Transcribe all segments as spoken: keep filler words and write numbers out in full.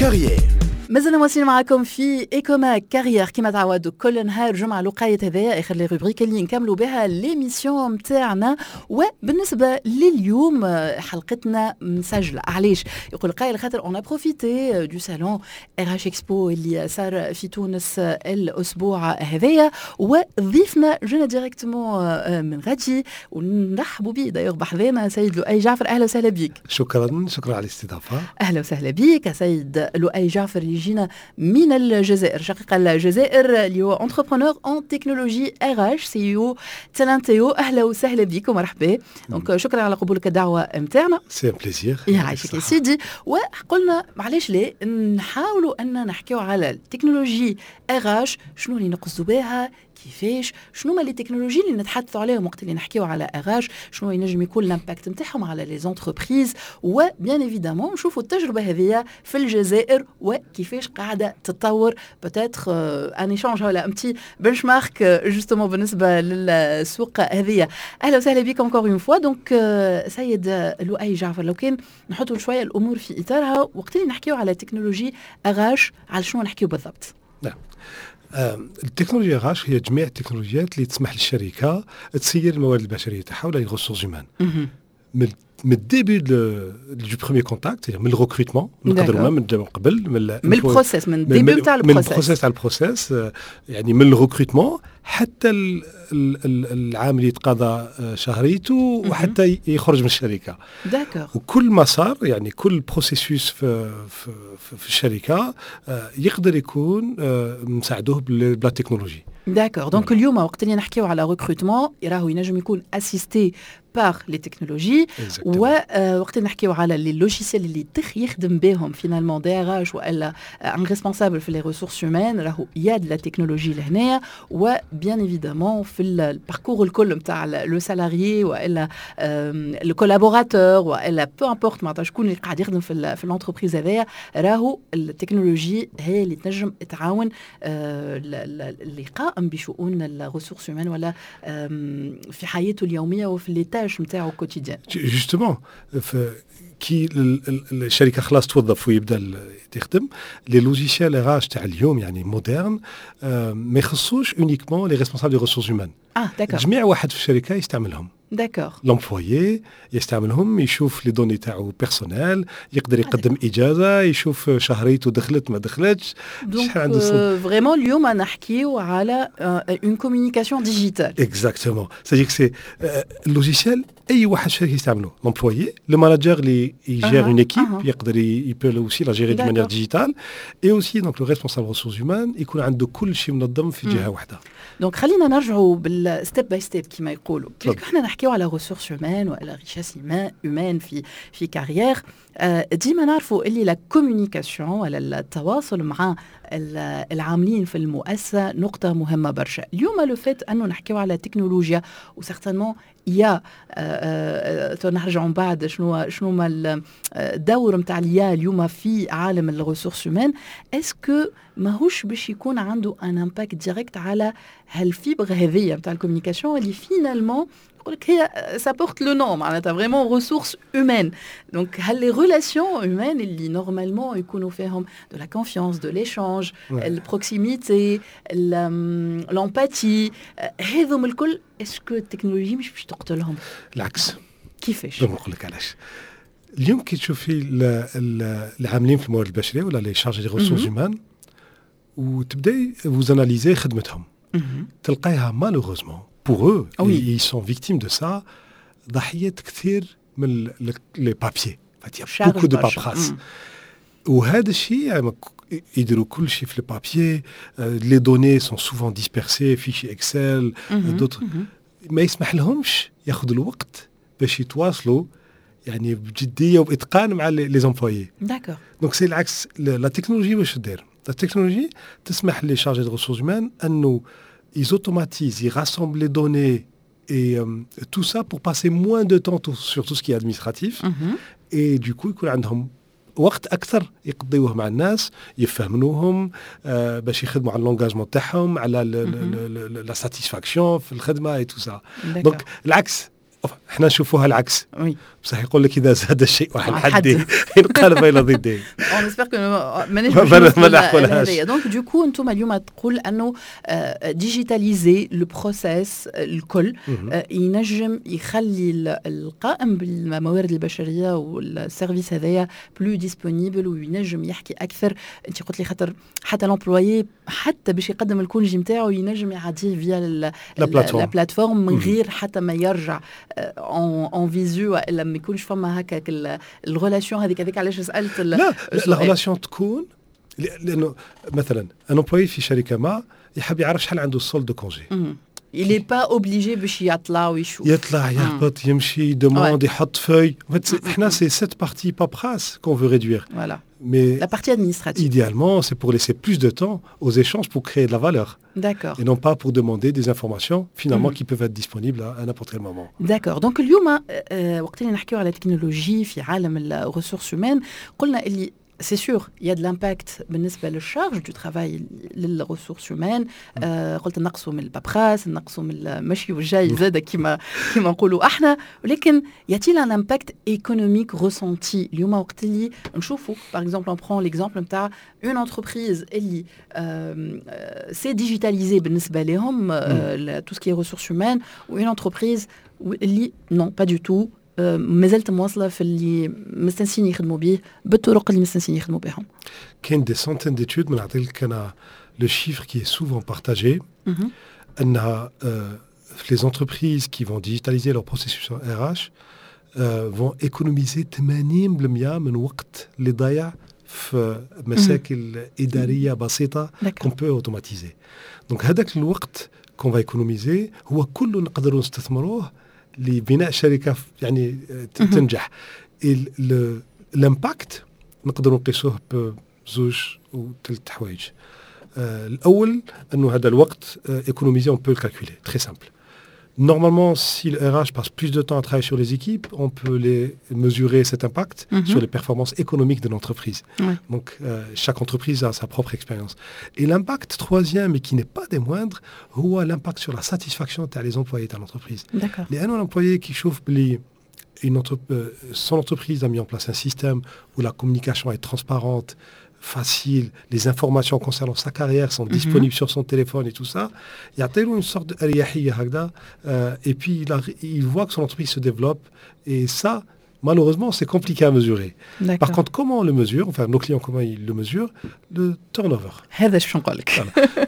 Carrière. مازلنا مواصلين معكم في Ecomag Carrière كما تعودوا كل نهار جمعه، لقايه هذايا اخر les rubriques اللي نكملوا بها l'émission نتاعنا. وبالنسبة لليوم حلقتنا مسجله. علاش يقول قايل؟ خاطر on a profité du salon RH Expo اللي صار في تونس الاسبوع هذايا، وضيفنا جينا directement من غادي ونرحبوا به d'ailleurs بحذانا سيد لؤي جعفر. اهلا وسهلا بك. شكرا، شكرا على الاستضافه. اهلا وسهلا بك سيد لؤي جعفر، يجينا من الجزائر، شقيق الجزائر، اللي هو entrepreneur en technologie RH، CEO Talenteo. اهلا وسهلا بك ومرحبا، donc شكرا على قبولك الدعوة نتاعنا. c'est un plaisir. يعيشك يا سيدي. وقلنا معليش ليه نحاولوا ان نحكيو على ال technologie RH، شنو اللي نقصدوا بها، كيفاش، شنو ما les technologies اللي نتحدثوا عليهم وقت اللي نحكيو على RH، شنو ينجم يكون l'impact نتاعهم على les entreprises، و bien évidemment نشوفوا التجربة هذه في الجزائر وكيفاش قاعدة تتطور، peut-être un échange ولا un petit benchmark justement بالنسبة للسوق هذه. اهلا وسهلا بك encore une fois. donc سيد لؤي جعفر، لو كان نحطوا شوية الامور في اطارها، وقت اللي نحكيو على technologie RH، على شنو نحكيو بالضبط؟ نعم، ال technologie RH هي جميع التكنولوجيات اللي تسمح للشركة تسير الموارد البشرية تاعها ولا les ressources humaines من من ال début du premier contact، من ال recrutement، نقدروا من قبل. من من ال processus، من ال début تاع ال processus، من ال processus تاع ال processus، يعني من ال recrutement حتى العامل يتقاضى شهريته وحتى يخرج من الشركه. d'accord وكل مسار، يعني كل processus في, في, في الشركة يقدر يكون نساعدوه ب la technologie. d'accord، donc اليوم وقت اللي نحكيو على recrutement راهو ينجم يكون assisté par les technologies، ووقت اللي نحكيو على les logiciels اللي تخ يخدم بهم finalement DRH والا un responsable في les ressources humaines، راهو il y a de la technologie لهنايا. و bien évidemment في ال parcours الكل نتاع le salarié والا le collaborateur والا peu importe معناتها شكون اللي قاعد يخدم في في l'entreprise هذايا، راهو التكنولوجي هي اللي تنجم تعاون اللي قائم بشؤون ال ressources humaines ولا في حياته اليومية وفي les tâches نتاعو quotidiennes. justement، كي الشركة خلاص توظف ويبدا يخدم، les logiciels RH تاع اليوم، يعني modernes، ما يخصوش uniquement les responsables des ressources humaines. اه d'accord. جميع واحد في الشركة يستعملهم. d'accord l'employé يستعملهم، يشوف les données تاعو personnelles، يقدر يقدم اجازه، يشوف شهريته دخلت ما دخلتش. شحال عنده. vraiment اليوم نحكيو على une communication digitale. exactement، c'est-à-dire c'est ال logiciel اي واحد في الشركة يستعملو، l'employé، le manager اللي ي gère une équipe يقدر il peut aussi la gérer de manière digitale، et aussi donc le responsable ressources humaines يكون عنده كل شيء منظم في جهة واحده. donc خلينا نرجعوا بال step by step كما يقولوا. احنا نحكيو على ressources humaines ولا richesse humaine في في carrière، ديما نعرفوا اللي la communication ولا التواصل مع العاملين في المؤسسة نقطة مهمة برشا. اليوم le fait انه نحكيو على تكنولوجيا و certainement IA، نرجعوا من بعد شنو شنو ما الدور نتاع l'IA اليوم في عالم ال ressources humaines، est-ce que ماهوش باش يكون عنده un impact direct على هال fibre هذيا نتاع ال communication اللي finalement يقول لك هي ça porte le nom معناتها vraiment ressources humaines؟ donc هل les relations humaines اللي normalement يكونوا فيهم de la confiance، de l'échange، ال proximité، l'empathie، هذم الكل، est-ce que ال technologie مش باش تقتلهم؟ العكس. كيفاش؟ نقول لك علاش. اليوم كي تشوفي العاملين في الموارد البشرية ولا les chargés des ressources humaines وتبداي vous analysez خدمتهم، تلقايها malheureusement pour eux oui. ils sont victimes de ça، ضحية كثير من les papiers، beaucoup de paperasse. وهذا الشيء يعني يديروا كل شيء في ال papier، les données sont souvent dispersées، fichiers Excel، d'autres، ما يسمح لهمش ياخذوا الوقت باش يتواصلوا يعني بجدية وباتقان مع les employés. d'accord donc c'est العكس. la technologie واش دير؟ la technologie تسمح les chargés de ressources humaines انه ils automatisent, ils rassemblent les données et euh, tout ça pour passer moins de temps tout, sur tout ce qui est administratif. Mm -hmm. Et du coup, يكون عندهم وقت اكثر يقضيوه مع الناس، يفهموهم، آه باش يخدموا على l'engagement تاعهم، على la satisfaction في الخدمة et tout ça. donc العكس. احنا نشوفوها العكس. Oui. بصح يقول لك اذا زاد الشيء عن عن حده حده. انقلب الى ضده. On espère que مانيش ما- باش ما نوصلوا نلحقولهاش. لهذايا. Donc du coup انتم اليوم تقول انه digitaliser le processus الكل مهم. آه، ينجم يخلي ال- القائم بالموارد البشرية وال service هذايا plus disponible وينجم يحكي اكثر. انت قلت لي خاطر حتى l'employé حتى باش يقدم ال congé نتاعو ينجم يعديه via la plateforme. la plateforme من مهم. غير حتى ما يرجع en visu والا ما يكونش فما هكاك ال relation هذيك. هذيك علاش سالت ال- لا، la السؤال. relation تكون لانه مثلا un employé في شركة ما يحب يعرف شحال عنده ال solde de congé. مم. Il est pas obligé باش يطلع ويشوف. يطلع، يهبط، يمشي، demande، يحط feuille. En fait, احنا c'est cette partie paperasse qu'on veut réduire. Voilà. Mais La partie administrative. idéalement, c'est pour laisser plus de temps aux échanges pour créer de la valeur D'accord. et non pas pour demander des informations finalement Mhm. qui peuvent être disponibles à, à n'importe quel moment. D'accord. Donc اليوم آه، وقت اللي نحكيو على تكنولوجي في عالم ال ressources humaines، قلنا اللي c'est sûr, il y a de l'impact بالنسبة لل charge du travail لل ressources humaines. آه قلت نقصوا من ال paperasse، نقصوا من المشي والجاي زاد كيما كيما نقولوا احنا، ولكن y a-t-il un impact économique ressenti اليوم وقت اللي نشوفوا par exemple, on prend l'exemple نتاع une entreprise اللي c'est digitalisé بالنسبة لهم tout ce qui est ressources humaines و une entreprise اللي non, pas du tout، مازالت مواصلة في اللي مستنسين يخدموا به بالطرق اللي مستنسين يخدموا بهم؟ كاين des centaines d'études، من نعطي لك انا le chiffre qui est souvent partagé مهم. انها euh, les entreprises qui vont digitaliser leur processus R H euh, vont économiser ثمانين في المية من وقت اللي ضايع في مشاكل إدارية بسيطة D'accord. qu'on peut automatiser. Donc هذاك الوقت qu'on va économiser هو كله نقدروا نستثمروه لبناء شركة يعني ت- مهم. تنجح. Et le- l'impact نقدروا نقيسوه بزوج وثلاث حوايج. آه، الاول انه هذا الوقت économisé, on peut le calculer, très simple. Normalement, si le R H passe plus de temps à travailler sur les équipes, on peut les mesurer, cet impact, Mhm. sur les performances économiques de l'entreprise. Ouais. Donc, euh, chaque entreprise a sa propre expérience. Et l'impact troisième, et qui n'est pas des moindres, هو l'impact sur la satisfaction تاع les employés de l'entreprise. D'accord. لأنه l'employé كي يشوف بلي une entre- euh, son entreprise a mis en place un système où la communication est transparente, facile, les informations concernant sa carrière sont Mhm. disponibles sur son téléphone et tout ça, il y a tellement une sorte de أريحية هكذا, euh, et puis il, a- il voit que son entreprise se développe et ça, malheureusement, c'est compliqué à mesurer. D'accord. Par contre, comment on le mesure, enfin nos clients, comment ils le mesurent? Le turnover. هذا اش باش نقول لك.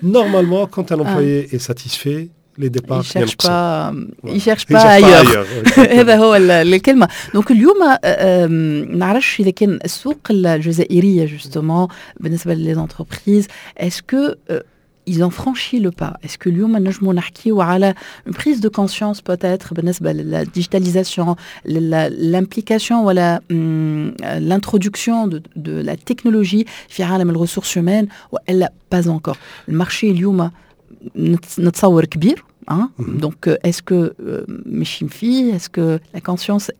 Normalement, quand un employé est satisfait, les départs il cherche ينقصوا. pas, Voilà. il cherche Il pas cherche pas ailleurs. ailleurs. هذا هو ال- الكلمه. Donc اليوم آه، آم، نعرفش اذا كان السوق الجزائرية justement بالنسبة les entreprises, est-ce que ils ont franchi le pas؟ Est-ce que اليوم نجموا نحكيو على une prise de conscience peut-être بالنسبة لل digitalisation، l'implication ولا l'introduction de, de la technologie في عالم ال ressources humaines والا pas encore؟ ال marché اليوم نت- نتصور كبير hein. Mhm. Donc est-ce que ماشيين فيه؟ Est-ce que la conscience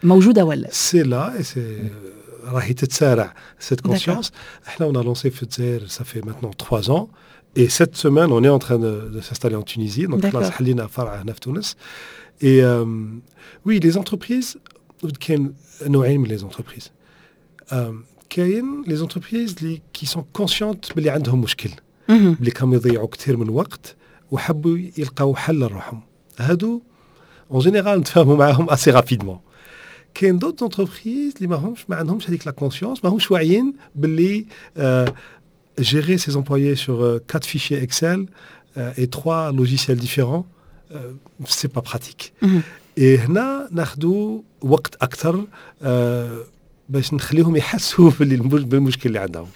موجودة ولا؟ C'est là et c'est راهي تتسارع cette conscience. احنا on a lancé في الجزائر, ça fait maintenant trois ans, et cette semaine on est en train de, de s'installer en Tunisie. Donc D'accord. خلاص حلينا فرع هنا في تونس. Et euh, oui, les entreprises, كاين نوعين من les entreprises. Euh, كاين les entreprises اللي qui sont conscientes باللي عندهم مشكل، مهم. اللي كانوا يضيعوا كثير من الوقت وحبوا يلقاو حل لروحهم. هادو en général نتفاهموا معاهم assez rapidement. كاين d'autres entreprises اللي ما همش ما عندهمش هذيك la conscience، ما همش واعيين باللي gérer ses employés sur euh, quatre fichiers Excel euh, et trois logiciels différents, euh, c'est pas pratique. مهم. Et هنا ناخذوا وقت اكثر آه، باش نخليهم يحسوا باللي المش- بالمشكل اللي عندهم.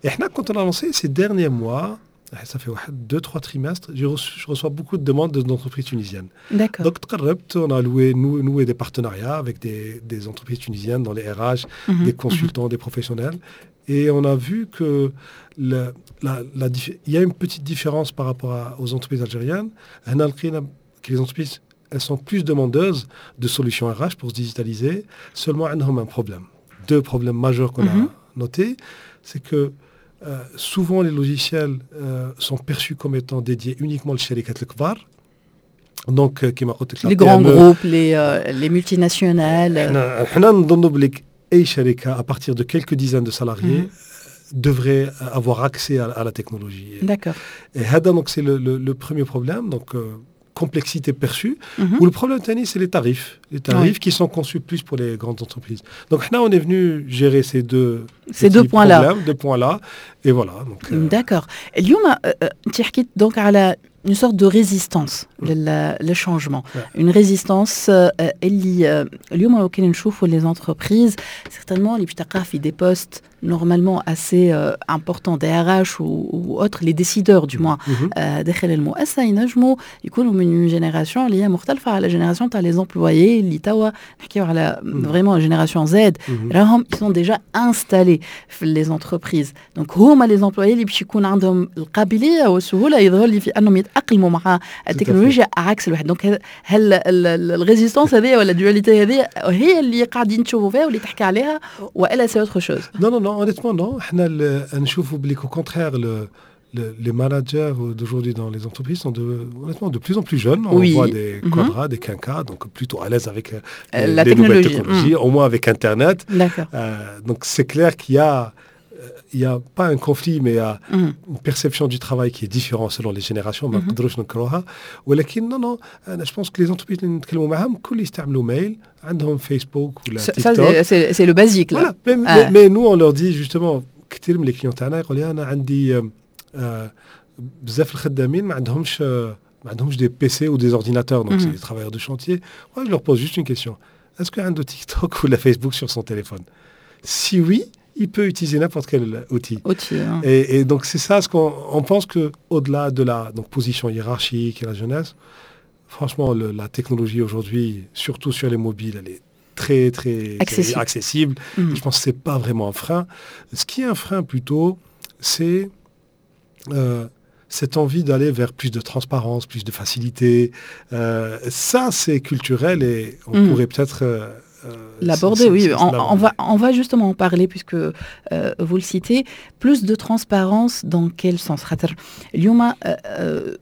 احنا quand on a lancé ces derniers mois, ça fait واحد deux trois trimestres, je reçois, je reçois beaucoup de demandes d'entreprises tunisiennes. D'accord. Donc تقربت, on a loué, noué, noué des partenariats avec des, des entreprises tunisiennes dans les R H, Mhm. des consultants, des professionnels. Et on a vu que la, la, la dif- il y a une petite différence par rapport à- aux entreprises algériennes. هنا لقينا que les entreprises, elles sont plus demandeuses de solutions R H pour se digitaliser. Seulement, عندهم un problème. Deux problèmes majeurs qu'on Mhm. a notés, c'est que euh, souvent les logiciels euh, sont perçus comme étant dédiés uniquement للشركات الكبار. Donc كيما قلت لك les grands groupes, les les multinationales. احنا احنا نظنوا بلي اي شركه à partir de quelques dizaines de salariés mm -hmm. devrait avoir accès à, à la technologie. D'accord. Et هذا donc c'est le, le, le premier problème, donc euh, complexité perçue. Mm -hmm. و le problème الثاني, c'est les tarifs. Les tarifs oui. qui sont conçus plus pour les grandes entreprises. Donc là, on est venu gérer ces deux, ces deux points-là. Deux points-là. Et voilà. Donc, euh... D'accord. اليوم انت حكيت donc على une sorte de résistance لل changement, une résistance اللي اليوم لو كان نشوفوا les entreprises, certainement اللي باش تلقاه في des postes normalement assez importants, D R H ou autres, les décideurs du moins داخل المؤسسه, ينجموا يكونوا من une génération اللي هي مختلفه على génération تاع les employés اللي توا نحكيو على vraiment génération Z, راهم ils sont déjà installés في les entreprises. Donc هما les employés اللي باش يكون عندهم القابليه والسهوله يظهر لي في انهم يتاقلموا مع التكنولوجيا عكس الواحد. Donc هل ال résistance هذه ولا ال dualité هذه هي اللي قاعدين تشوفوا فيها واللي تحكي عليها والا c'est autre chose? Non, non, non, honnêtement, non. احنا نشوفوا بلي qu'au contraire, le, le, les managers d'aujourd'hui dans les entreprises sont de, honnêtement de plus en plus jeunes. On oui. voit des mm -hmm. quadras, des quinquas, donc plutôt à l'aise avec euh, la les technologie. Nouvelles technologies, mmh. au moins avec Internet. D'accord. Euh, donc c'est clair qu'il y a il n'y a pas un conflit, mais il y a mm. une perception du travail qui est différente selon les générations. ما نقدروش ننكروها ولكن non, non, انا je pense que les entreprises اللي نتكلموا معاهم كل يستعملوا mail, عندهم فيسبوك ولا تيك توك. C'est le basique. Voilà. Mais, ah. mais, mais nous, on leur dit justement, كثير من les clients تاعنا يقول لي انا عندي آه بزاف الخدامين ما عندهمش ما عندهمش des P C ou des ordinateurs, donc mm -hmm. c'est des travailleurs de chantier. Moi, je leur pose juste une question: est-ce que عنده TikTok ولا Facebook sur son téléphone? Si oui, il peut utiliser n'importe quel outil. Outil, hein. Et, et donc c'est ça ce qu'on on pense, que au-delà de la donc, position hiérarchique et la jeunesse, franchement, le, la technologie aujourd'hui, surtout sur les mobiles, elle est très très accessible. Accessible. Mm. Je pense que c'est pas vraiment un frein. Ce qui est un frein plutôt, c'est euh, cette envie d'aller vers plus de transparence, plus de facilité. Euh, ça, c'est culturel et on Mm. pourrait peut-être euh, l'aborder, oui. On, on, va, on va justement en parler puisque euh, vous le citez. Plus de transparence dans quel sens? خاطر اليوم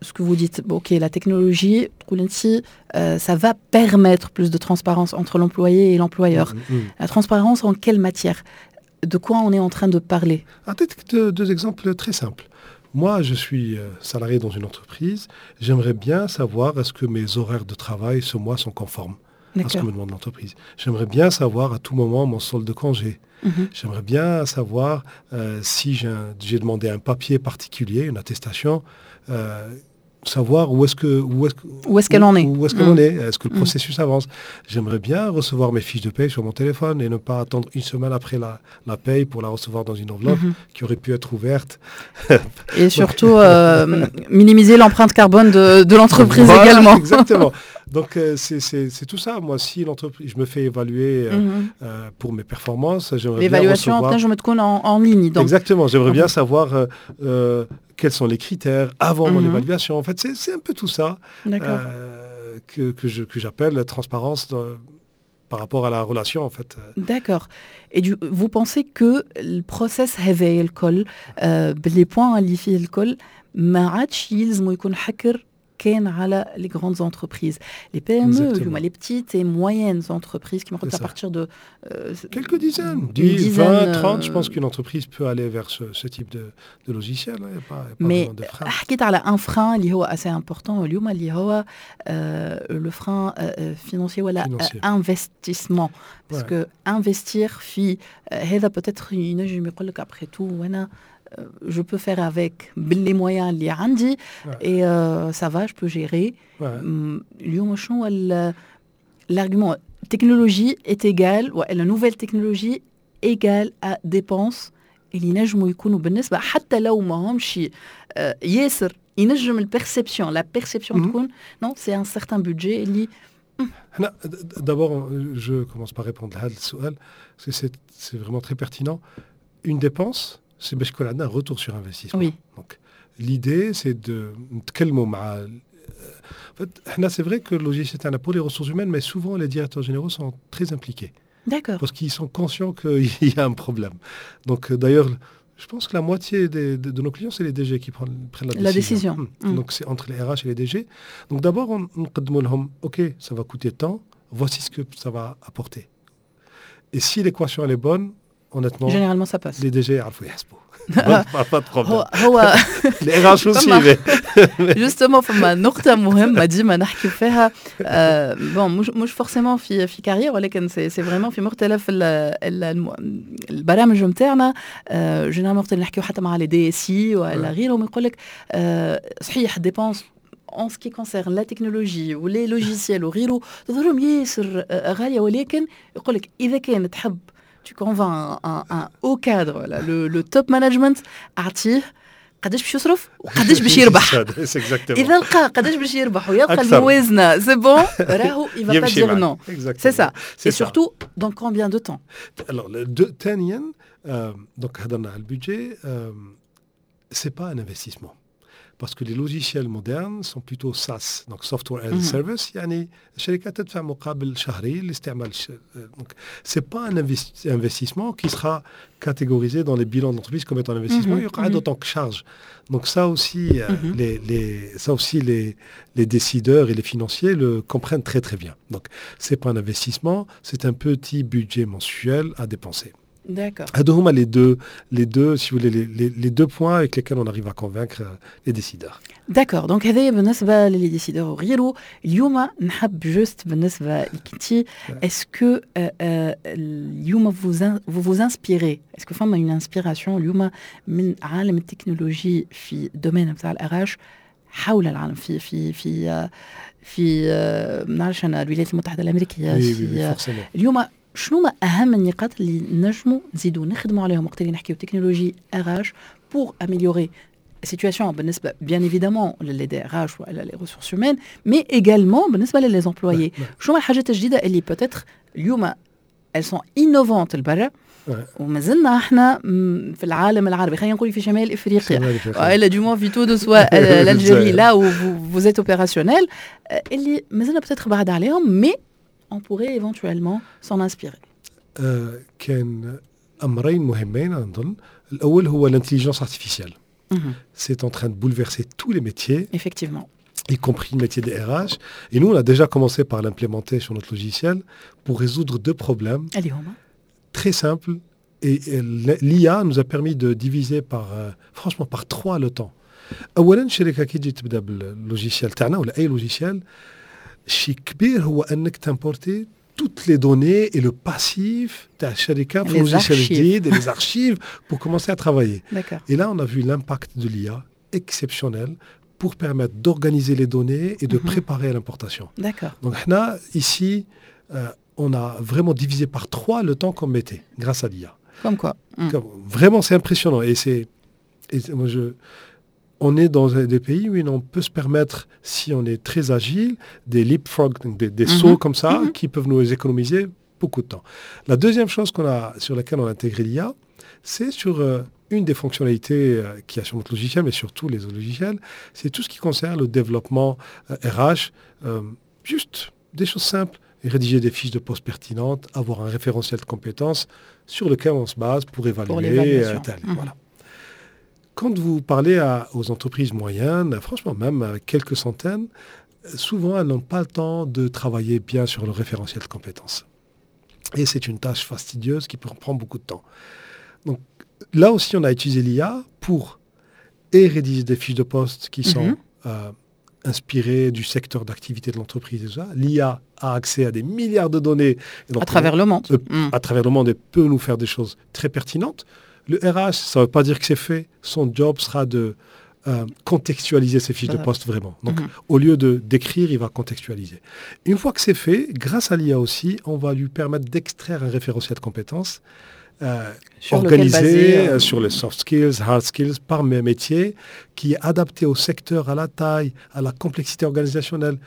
ce que vous dites, ok, la technologie, euh, ça va permettre plus de transparence entre l'employé et l'employeur. Mm, mm. La transparence en quelle matière? De quoi on est en train de parler? Peut-être deux, deux exemples très simples. Moi, je suis salarié dans une entreprise. J'aimerais bien savoir est-ce que mes horaires de travail ce mois sont conformes à ce que me demande l'entreprise. J'aimerais bien savoir à tout moment mon solde de congé. Mm -hmm. J'aimerais bien savoir euh, si j'ai demandé un papier particulier, une attestation, euh, savoir où est-ce que où est-ce où est-ce qu'elle en est. Où est-ce qu'elle mm. en est. Est-ce que le mm. processus avance? J'aimerais bien recevoir mes fiches de paye sur mon téléphone et ne pas attendre une semaine après la, la paye pour la recevoir dans une enveloppe mm -hmm. qui aurait pu être ouverte. Et surtout euh, minimiser l'empreinte carbone de, de l'entreprise Voilà, également. Exactement. Donc euh, c'est tout ça. Moi, si l'entreprise, je me fais évaluer euh, mm -hmm. euh, pour mes performances, j'aimerais bien L'évaluation recevoir. تنجم تكون en, en ligne. Donc. Exactement. J'aimerais bien savoir euh, quels sont les critères avant mon Mhm. évaluation. En fait, c'est un peu tout ça D'accord. euh, que, que je- que j'appelle la transparence dans- par rapport à la relation, en fait. D'accord. Et du, vous pensez que le process هذا الكل آه، ب les points اللي فيه الكل ما عادش يلزموا يكون حكر كان على les grandes entreprises, les P M E, Exactement. اليوم les petites et moyennes entreprises qui C'est à ça. partir de euh, Quelques dizaines, une dix, dizaine, vingt, trente, je pense euh, qu'une entreprise peut aller vers ce, ce type de, de logiciel. Il n'y a pas, il y a pas Mais vraiment de frein. حكيت على un frein اللي هو assez important اليوم اللي هو le frein financier ولا Financier. Investissement, parce Ouais. que investir في آه، هذا peut-être ينجم يقول لك après tout وانا je peux faire avec les moyens اللي عندي Ouais. et euh, ça va, je peux gérer. Ouais. م، اليوم شنو هو ال- l'argument technologie est égale ولا nouvelle technologie égale à dépense اللي ينجموا يكونوا بالنسبه حتى لو ما همش آه، ياسر ينجم ال perception, la perception Mhm. تكون non, c'est un certain budget اللي أنا, d'abord, je commence par répondre à السؤال parce que c'est c'est vraiment très pertinent. Une dépense, c'est باش يكون عندنا un retour sur investissement. Oui. Donc, l'idée, c'est de نتكلموا مع En fait, احنا, c'est vrai que le logiciel تاعنا pour les ressources humaines, mais souvent les directeurs généraux sont très impliqués. D'accord Parce qu'ils sont conscients qu'il y a un problème. Donc, euh, d'ailleurs, Je pense que la moitié des, de, de nos clients, c'est les D G qui prennent, prennent la La décision. Décision. Hmm. Mm. Donc c'est entre les R H et les D G. Donc d'abord, on نقدموا لهم, OK, ça va coûter tant, voici ce que ça va apporter. Et si l'équation elle est bonne, honnêtement, Généralement, ça passe. Les D G يعرفوا يحسبوا. Pas, pas de problème. هو هو Les R H aussi, mais justement فما نقطة مهمة ديما نحكي فيها آه bon مش مش forcément في في Carrière ولكن c'est c'est vraiment في مختلف ال ال الم- البرامج نتاعنا آه généralement وقت اللي نحكيو حتى مع les D S I ولا غيرهم يقول لك آه صحيح dépenses en ce qui concerne la technologie و les logiciels وغيره تظهرهم ياسر آه، غالية ولكن يقول لك إذا كان تحب tu convaincs un, un haut cadre ولا le, le top management أعطيه قداش باش يصرف وقداش باش يربح. C'est exactement. اذا لقى قداش باش يربح ويلقى أكثر. الموازنه c'est bon راهو il va pas يمشي dire معك. non. Exactement. C'est ça. C'est et ça. surtout dans combien de temps? Alors, le deux, ثانيا euh, donc هضرنا على ال budget, euh, c'est pas un investissement. Parce que les logiciels modernes sont plutôt SaaS, donc Software as a Mhm. Service, يعني الشركات تدفع مقابل شهري لاستعمال الش... Donc c'est pas un investi- investissement qui sera catégorisé dans les bilans d'entreprise comme étant un investissement, Mhm, il y aura mhm. autant que charge. Donc ça aussi, euh, Mhm. les, les, ça aussi les, les décideurs et les financiers le comprennent très très bien. Donc c'est pas un investissement, c'est un petit budget mensuel à dépenser. D'accord. هادو هما les deux, les deux, si vous voulez, les, les, les deux points avec lesquels on arrive à convaincre euh, les décideurs. D'accord, donc هذايا بالنسبه ل les décideurs وغيره. اليوم نحب juste بالنسبه لك انت est-ce que اليوم vous vous vous inspirez, est-ce que فما une inspiration اليوم من عالم التكنولوجي في domaine نتاع ال R H حول العالم في في في في ما نعرفش انا الولايات المتحده الامريكيه Oui, oui, في oui, forcément. اليوم شنو ما اهم النقاط اللي نجموا نزيدوا نخدموا عليهم وقت اللي نحكيو technologie R H pour améliorer situation بالنسبه bien évidemment les D R H ولا les ressources humaines, mais également بالنسبه les employés? شنو هما الحاجات الجديده اللي peut-être اليوم elles sont innovantes البرا ومازلنا احنا في العالم العربي خلينا نقول في شمال افريقيا والا du moins في تونس و l'Algérie, là où vous êtes opérationnel, اللي مازلنا peut-être بعد عليهم mais on pourrait éventuellement s'en inspirer? كان امرين مهمين نظن. الاول هو l'intelligence artificielle. C'est en train de bouleverser tous les métiers. Effectivement. Y compris le métier des R H. Et nous, on a déjà commencé par l'implémenter sur notre logiciel pour résoudre deux problèmes très simples. Et, et l'I A nous a permis de diviser par, euh, franchement, par trois le temps. اولا الشركه كي تجي تبدا بال logiciel تاعنا ولا اي logiciel شيء كبير هو انك t'importer toutes les données et le passif تاع الشركه في logiciel جديد et les archives pour commencer à travailler. Et là, on a vu l'impact de l'I A exceptionnel pour permettre d'organiser les données et de mm -hmm. préparer l'importation. D'accord. Donc là, ici, euh, on a vraiment divisé par trois le temps qu'on mettait grâce à l'I A. Comme quoi. Mm. Comme, vraiment, c'est impressionnant. Et c'est, et moi, je, on est dans des pays où on peut se permettre, si on est très agile, des leapfrogs, des, des mm -hmm. sauts comme ça, mm -hmm. qui peuvent nous économiser beaucoup de temps. La deuxième chose qu'on a, sur laquelle on a intégré l'I A, c'est sur euh, une des fonctionnalités euh, qu'il y a sur notre logiciel, mais surtout les autres logiciels, c'est tout ce qui concerne le développement euh, R H. euh, juste des choses simples. Rédiger des fiches de poste pertinentes, avoir un référentiel de compétences sur lequel on se base pour évaluer. L'évaluation. tel, Mhm. Voilà. Quand vous parlez à- aux entreprises moyennes, franchement, même avec quelques centaines, souvent, elles n'ont pas le temps de travailler bien sur le référentiel de compétences. Et c'est une tâche fastidieuse qui peut prendre beaucoup de temps. Donc là aussi, on a utilisé l'I A pour et rédiger des fiches de poste qui sont Mhm. euh, inspirées du secteur d'activité de l'entreprise et tout ça. L'I A a accès à des milliards de données. Et donc, À travers le monde. euh, Mm. à travers le monde et peut nous faire des choses très pertinentes. Le R H, ça ne veut pas dire que c'est fait. Son job sera de euh, contextualiser ces fiches de Voilà. poste vraiment. Donc, Mhm. au lieu de d'écrire, il va contextualiser. Une fois que c'est fait, grâce à l'I A aussi, on va lui permettre d'extraire un référentiel de compétences euh, Sur lequel organisé baser, euh, euh, sur les soft skills, hard skills, par mes métiers, qui est adapté au secteur, à la taille, à la complexité organisationnelle.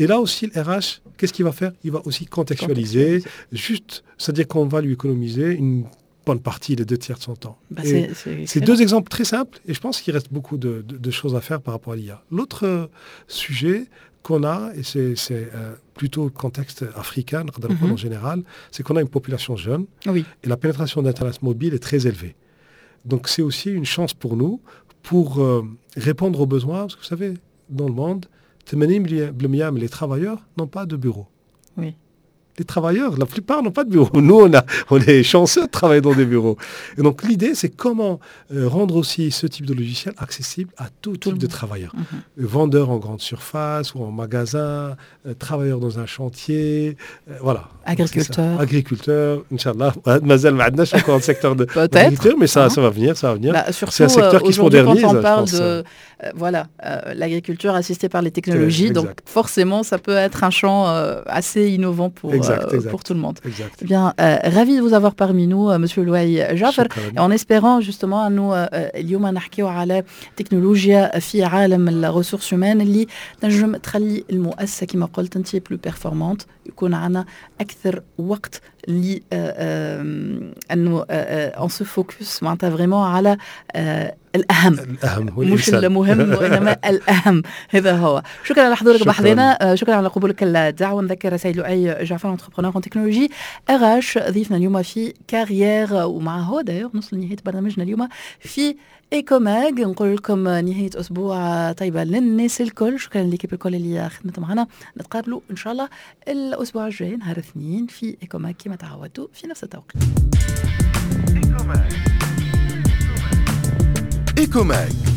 Et là aussi, le R H, qu'est-ce qu'il va faire? Il va aussi contextualiser, juste, c'est-à-dire qu'on va lui économiser une bonne partie, les deux tiers de son temps. Bah, Et c'est- c'est c'est excellent. deux exemples très simples et je pense qu'il reste beaucoup de, de- de choses à faire par rapport à l'I A. L'autre euh, sujet qu'on a, et c'est c'est, euh, plutôt le contexte africain, Mhm. en général, c'est qu'on a une population jeune Oui. et la pénétration d'Internet mobile est très élevée. Donc c'est aussi une chance pour nous pour euh, répondre aux besoins, parce que vous savez, dans le monde, ثمانين بالمية les travailleurs n'ont pas de bureau. Oui. Les travailleurs, la plupart n'ont pas de bureau. Nous, on, a, on est chanceux de travailler dans des bureaux. Et donc l'idée, c'est comment euh, rendre aussi ce type de logiciel accessible à tout, tout type de travailleurs. Mm -hmm. Vendeurs en grande surface ou en magasin, euh, travailleurs dans un chantier, euh, voilà. Agriculteurs. Agriculteurs, إن شاء الله. مازال ما عندناش encore le secteur de l'agriculture, mais ça, ça va venir, ça va venir. Bah, c'est un secteur qui se modernise. Quand on parle de voilà, l'agriculture assistée par les technologies, donc forcément, ça peut être un champ assez innovant pour exact, exact. pour tout le monde. Exact. Eh bien, euh, ravi de vous avoir parmi nous, euh, Monsieur Louaï Jafar, en espérant justement أنه اليوم نحكيو على تكنولوجيا في عالم ال ressources humaines اللي تنجم تخلي المؤسسة كما قلت انت plus performante، يكون عندنا اكثر وقت ل انه on se focus معناتها vraiment على الاهم. الاهم هو مش المهم وانما الاهم. هذا هو. شكرا على حضورك بحذنا، شكرا على قبولك الدعوه. نذكر سيد لؤي جعفر، entrepreneur en technologie RH، ضيفنا اليوم في Carrière. ومع هو d'ailleurs نوصل لنهاية برنامجنا اليوم في Ecomag. نقول لكم نهاية اسبوع طيبة للناس الكل. شكرا ل l'équipe الكل اللي خدمت معنا. نتقابلوا ان شاء الله الاسبوع الجاي نهار الاثنين في Ecomag كما تعودتوا في نفس التوقيت. Ecomag.